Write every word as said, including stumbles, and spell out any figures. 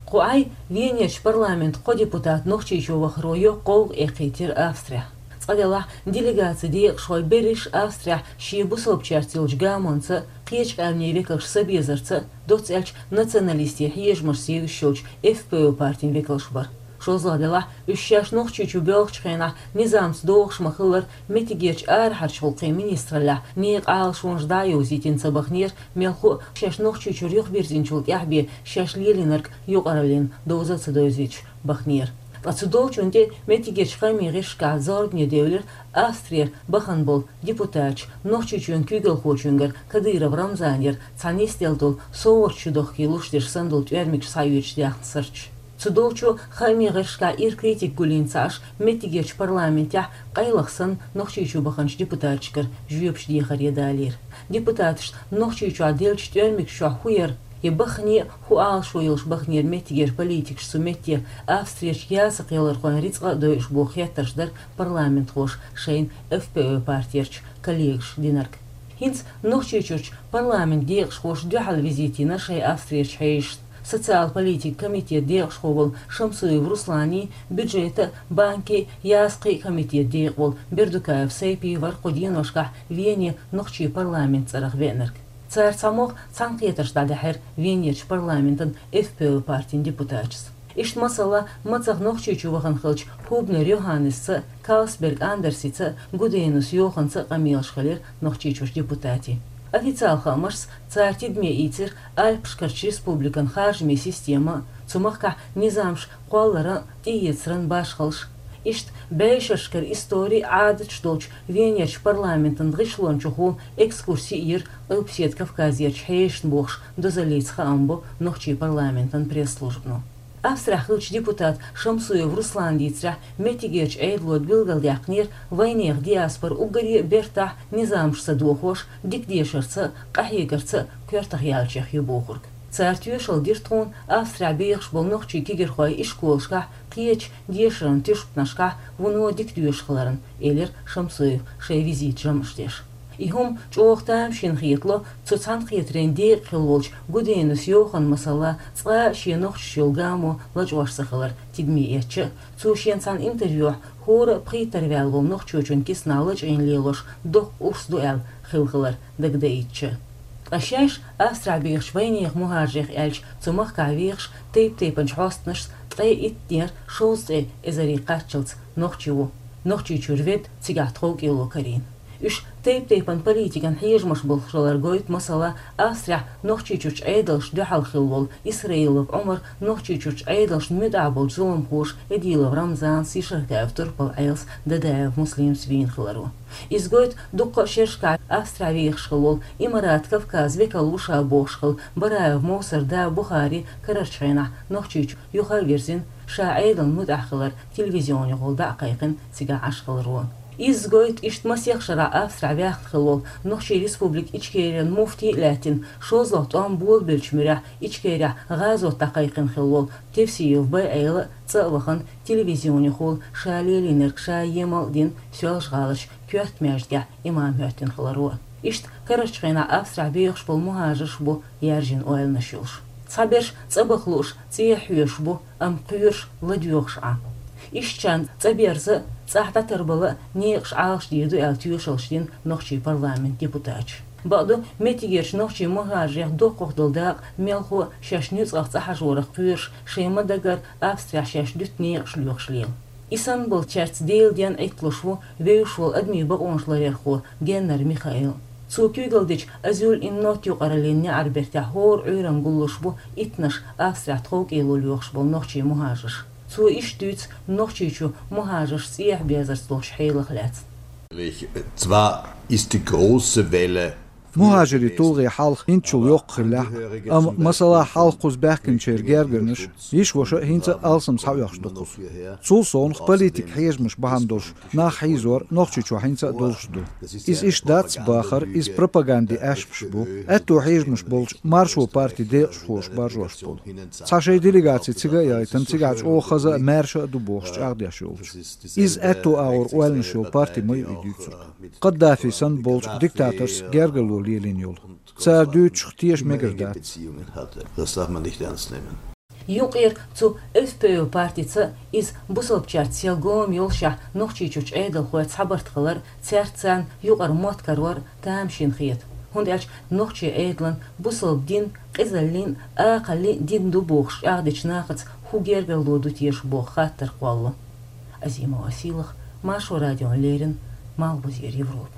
Кху Ӏай Венерчу парламентан кхо депутат Нохчийчу вахаро йоккха гӀовгӀа эккхийтира Австрехь. Цкъа-делахь делегацин декъашхой берриш Австрехь шен бусалбачаьрца йолчу гамонца, кхечу къаьмнийн векалш ца безарца, доцца аьлча националистийн хьежамашца евзаш йолчу Ф П О партин векалш бара. ШозлагӀа-делахь уьш шаьш Нохчийчу боьлхучу хенахь низамца догӀуш ма-хиллара, меттигерчу арахьарчу гӀуллакхийн министраллехь некъан Ӏалашонаш дӀа а йовзийтина ца бахнера, мелхо а шаьш Нохчийчуьра юхабирзинчул тӀаьхьа бен шаьш лелийнарг юкъараллин довза а ца довзуьйтуш бахнера. Ткъа цу долчунна тӀе меттигерчу хаамийн гӀирсашкахь зорбане девлира Австрера бахана болу депутаташ, Нохчийчоьнан куьйгалхочуьнгара Кадыров Рамзанера цхьа нисделла долу совгӀаташ чудохкий луш дерш санна долу тӀоьрмигаш схьаоьцуш даьхна сурташ. Цу долчу хаамийн гӀирсашкахь ира критика гулйина ца Ӏаш, меттигерчу парламентехь къайлаха санна Нохчийчу баханчу депутаташкара жоьпаш дехаре далийра. Депутаташна Нохчийчохь деллачу тӀоьрмигаш чохь хӀун яра, я баххане а хӀун Ӏалашо йолуш бахнера меттигера политикаш цу метте, Австрерчу ясакхъялархойн рицкъа а дойуш боху хеттарш дара парламентхоша шайна Ф П О партерчу коллегаша динарг. ХӀинца Нохчийчуьрчу парламентан декъашхоша дуьхьал визит йина шайн Австрерчу хьешашна. Социал-политикан комитетан декъашхо волу Шамсуев Русланий, бюджетан а, банкийн а, ясакхийн а комитетан декъа волу Бердукаев Сайпий вара кху деношкахь Вене нохчийн парламентан цӀарах веанарг. Цара цхьамогӀа цхьаьнакхетарш дӀадаьхьира Венерчу парламентан Ф П О партин депутаташца. Иштта масала, мацах Нохчийчу вахана хиллачу Хубнер Йоханнесца а, Калсберг Андерсица а, Гуденус Йоханца а къамелаш хилира Нохчийчуьрчу депутатийн. Официал хаамашца, цара тидаме ийцира Альпашкарчу республикан харжамийн система а, цу махкахь низамаш кхолларан а, тӀеэцаран а башхаллаш. Иштта бӀешерашкара истори а, Ӏадаташ долчу Венерчу парламентан гӀишлон чухула экскурси а йира Къилбаседа Кавказерчу хьешашна бохуш дозаллица хаам бо нохчийн парламентан пресс-службано. Австрехь хиллачу депутата Шамсуев Руслана дийцарехь, меттигерчу Ӏедало билгалдаьккхинера, вайнехан диаспора уггаре а бертахь, низамашца дохош, дика дешарца а, къахьегарца а коьртах яьллачех ю бохург. Цара тоьшалла дира тхуна Австрехь бехаш болу нохчийн кегийрхой ишколашкахь, кхечу дешаран туьшпанашкахь вуно дика доьшуш хиларна, элира Шамсуева шайн визитан жамӀаш деш. И хӀума чӀогӀа тамашийна хетало цу цхьаьнакхетарийн декъахь хилла волчу Гуденус Йоханна, масала, цкъа а шен нохчашца йолу гамо лачкъош ца хилар тидаме эцча а, цо шена цхьана интервьюхь хӀора а пхийттара ваьлла волу нохчочун киснахь лачкъийна лелош доккха урс ду аьлла хилла хилар дагадаийтича а. Ткъа шаьш Австрехь бехачу вайнехан мухӀажарех аьлча, цу махкахь вехаш тайп-тайпанчу хьостанашца ткъе иттанера шовзткъе эзаре кхаччалц нохчи ву, Нохчийчуьра ведда, цигахь тховкӀело карийна. Уьш тайп-тайпана политикан хьежамаш болуш хилар гойту, масала, Австрехь Нохчийчуьрчу Ӏедалшна дуьхьал хилла волу Исраилов Ӏумар Нохчийчуьрчу Ӏедалшна муьтӀахь болчу зуламхоша Эдилов Рамзанца, Ешархаев Турпал-Ӏелас, Дадаев Муслимца вийна хиларо. Иза гойту дуккха а шерашкахь Австрехь вехаш хилла волу Имарат Кавказ векал ву ша бохуш хилла Бараев Мовсар да Бухари карарчу хенахь Нохчийчу юха а вирзина, ша Ӏедална муьтӀахь хилар телевизионехула дӀа а кхайкхина, цигахь Ӏаш хиларо. Иза гойту иштта масех шарахь Австрехь ваьхна хилла волу Нохчийн Республика Ичкерин муфти а лаьттина, шозлагӀа тӀом болабеллачу муьрехь Ичкерехь гӀазот дӀакхайкхина хилла волу Тевсиев Байъела а цӀа а вахана, телевизионехула ша лелийнарг ша емал а дина, Соьлжа-ГӀаларчу коьрта маьждигехь имам хӀоьттина хиларо. Иштта карарчу хенахь Австрехь бехаш болу мухӀажарш бу яьржина ойланаш йолуш. Цхьаберш цӀа баха лууш, цӀехьа хьоьжуш бу, амма кхоьруш ладоьгӀуш Ӏа. Ишттачарна цӀа берза а, цӀахь дӀатарбала а некъаш Ӏалашдийр ду аьлла тоьшаллаш дина нохчийн парламентан депутаташа. Бакъду, меттигерчу нохчийн мухӀажарех доккхах долу дакъа мелхо а шаьш нуьцкъах цӀа хьажорах кхоьруш, шайн ма-даггара Австрехь шаьш дуьту некъаш лоьхуш лела. И санна болчаьрца Делан денна Ӏитталуш ву вевзаш волу адамийн бакъонаш ларъярхо Геннер Михаил. Цо куьйгалла дечу «Азюль ин Нот» юкъараллин неӀарбертехь хӀора Ӏуьйранна гуллуш бу иттанаш Австрехь тховкӀело лоьхуш болу нохчийн мухӀажарш. Цо иштта дуьйцу Нохчийчу мухӀажарш цӀехьа безарца долчу хьелах лаьцна. Zwar ist die große Welle МухӀажарийн тулгӀе хьалха хӀинцачул йоккха хиллехь а, амма, масала, хьалха кхуза баьхкинчеран гергарнаш, йиша-ваша а хӀинца а алсам схьаоьхуш ду кхуза. Цул совнаха политикан хьежамаш бахьана долуш нах хьийзор Нохчийчохь хӀинца а долуш ду. Иза иштта дац бахар, иза пропагандин аьшпаш бу, аьтту хьежамаш болчу Маршо партин декъашхоша баржош болу. Цхьа шайн делегаци цига а яйтина, цигахь чӀогӀа хаза а, маьрша а ду бохуш чӀагӀдеш йолчу. Иза аьтту агӀор ойланаш йолу парти ма ю и дуьйцург. Каддафи санна болчу диктаторца гергарло лелийна йолу. Цара дуьйцучух теша мегар дац. Юкъера цу Ф П О партица, иза бусалбачаьрца сел гома йолушехь, Нохчийчуьрчу Ӏедалхой цхьабарт хилар, цаьрца царна юкъара мотт карор тамашийна хета, хӀунда аьлча нохчийн Ӏедалан, бусалба дин, къизаллин, акхаллин дин ду бохуш чӀагӀдечу нахаца хӀун гергарло ду теша боху хаттар кхоллало. Азимова Сийлаха, Маршо радиона леррина, Малхбузера Европа.